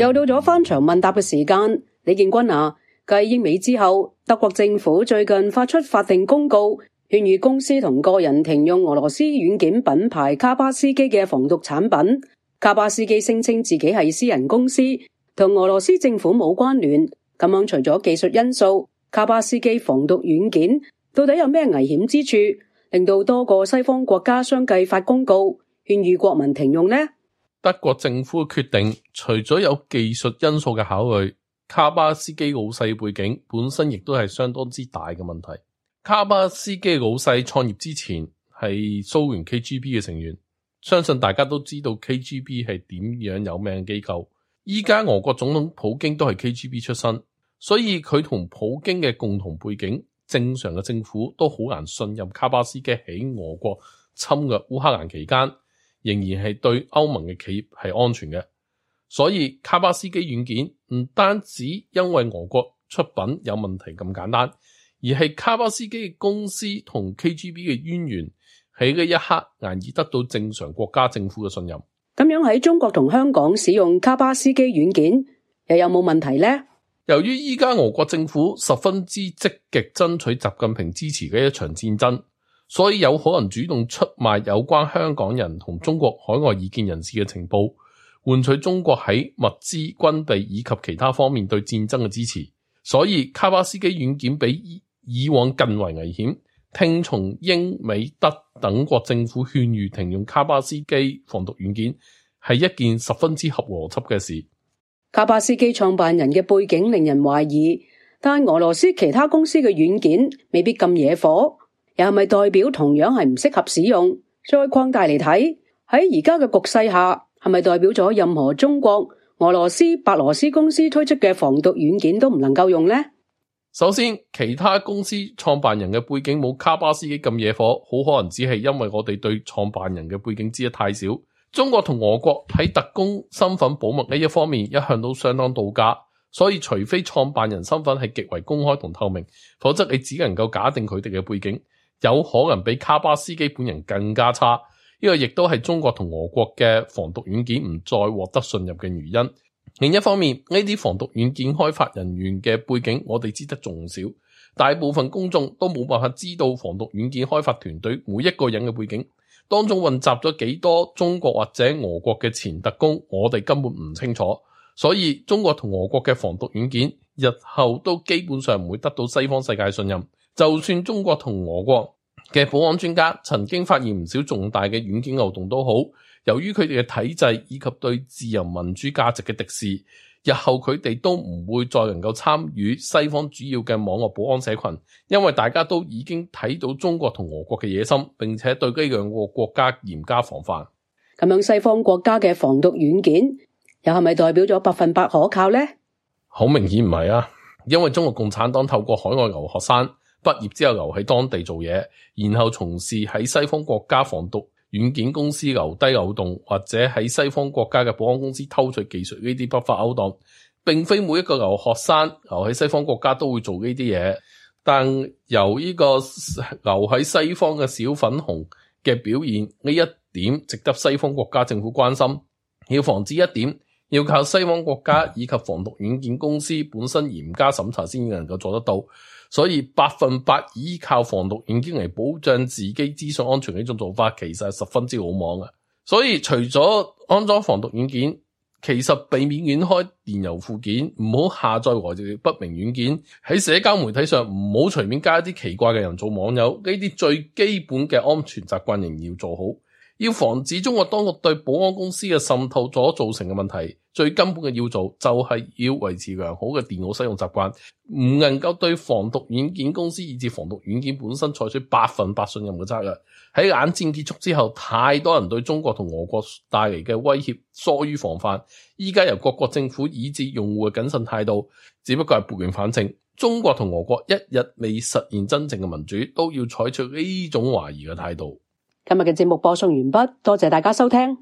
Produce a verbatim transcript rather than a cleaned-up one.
又到咗翻牆問答嘅時間，李建軍啊，繼英美之後，德國政府最近發出法定公告，勸喻公司同個人停用俄羅斯軟件品牌卡巴斯基嘅防毒產品。卡巴斯基聲稱自己係私人公司，同俄羅斯政府冇關聯。咁樣除咗技術因素，卡巴斯基防毒軟件到底有咩危險之處，令到多個西方國家相繼發公告勸喻國民停用呢？德國政府嘅決定，除咗有技術因素嘅考慮，卡巴斯基老細背景本身亦都係相當之大嘅問題。卡巴斯基老細創業之前係蘇聯 K G B 嘅成員，相信大家都知道 K G B 係點樣有名嘅機構。依家俄國總統普京都係 K G B 出身，所以佢同普京嘅共同背景，正常嘅政府都好難信任卡巴斯基喺俄國侵略烏克蘭期間仍然係對歐盟嘅企業係安全嘅。所以卡巴斯基軟件唔單止因為俄國出品有問題咁簡單，而係卡巴斯基嘅公司同 K G B 嘅淵源喺呢一刻難以得到正常國家政府嘅信任。咁樣喺中國同香港使用卡巴斯基軟件又有冇問題呢？由於依家俄國政府十分之積極爭取習近平支持嘅一場戰爭，所以有可能主動出賣有關香港人同中國海外異見人士嘅情報，換取中國喺物資、軍備以及其他方面對戰爭嘅支持。所以卡巴斯基軟件比以往更為危險。聽從英美德等國政府勸喻停用卡巴斯基防毒軟件係一件十分之合邏輯嘅事。卡巴斯基創辦人嘅背景令人懷疑，但俄羅斯其他公司嘅軟件未必咁惹火，又係咪代表同樣係唔適合使用？再擴大嚟睇，喺而家嘅局勢下，係咪代表咗任何中國、俄羅斯、白羅斯公司推出嘅防毒軟件都唔能夠用呢？首先，其他公司創辦人嘅背景冇卡巴斯基咁惹火，好可能只係因為我哋對創辦人嘅背景知得太少。中國同俄國喺特工身份保密呢一方面一向都相當到家，所以除非創辦人身份係極為公開同透明，否則你只能夠假定佢哋嘅背景有可能比卡巴斯基本人更加差。呢個亦都係中國同俄國嘅防毒軟件唔再獲得信任嘅原因。另一方面，呢啲防毒軟件開發人員嘅背景我哋知得仲少，大部分公眾都冇辦法知道防毒軟件開發團隊每一個人嘅背景，當中混雜咗幾多中國或者俄國嘅前特工，我哋根本唔清楚。所以中國同俄國嘅防毒軟件日後都基本上唔會得到西方世界信任。就算中國同俄國嘅保安專家曾經發現唔少重大嘅軟件漏洞都好，由於佢哋嘅體制以及對自由民主價值嘅敵視，日後佢哋都唔會再能夠參與西方主要嘅網絡保安社群，因為大家都已經睇到中國同俄國嘅野心，並且對呢兩個國家嚴加防範。咁樣西方國家嘅防毒軟件又係咪代表咗百分百可靠呢？好明顯唔係啊，因為中國共產黨透過海外留學生畢業之後留喺當地做嘢，然後從事喺西方國家防毒軟件公司留低漏洞，或者喺西方國家嘅保安公司偷取技術，呢啲不法勾當，並非每一個留學生留喺西方國家都會做呢啲嘢。但由呢個留喺西方嘅小粉紅嘅表現，呢一點值得西方國家政府關心。要防止一點，要靠西方國家以及防毒軟件公司本身嚴加審查先能夠做得到。所以百分百依靠防毒軟件嚟保障自己資訊安全嘅呢種做法，其實係十分之魯莽嘅。所以除咗安裝防毒軟件，其實避免亂開電郵附件，唔好下載來自不明軟件，喺社交媒體上唔好隨便加一啲奇怪嘅人做網友，呢啲最基本嘅安全習慣仍然要做好。要防止中國當局對保安公司嘅滲透所造成嘅問題，最根本嘅要做就係要維持良好嘅電腦使用習慣，唔能夠對防毒軟件公司以至防毒軟件本身採取百分百信任嘅策略。喺冷戰結束之後，太多人對中國同俄國帶嚟嘅威脅疏於防範，依家由各國政府以至用戶嘅謹慎態度，只不過係撥亂反正。中國同俄國一日未實現真正嘅民主，都要採取呢種懷疑嘅態度。今日嘅節目播送完畢，多謝大家收聽。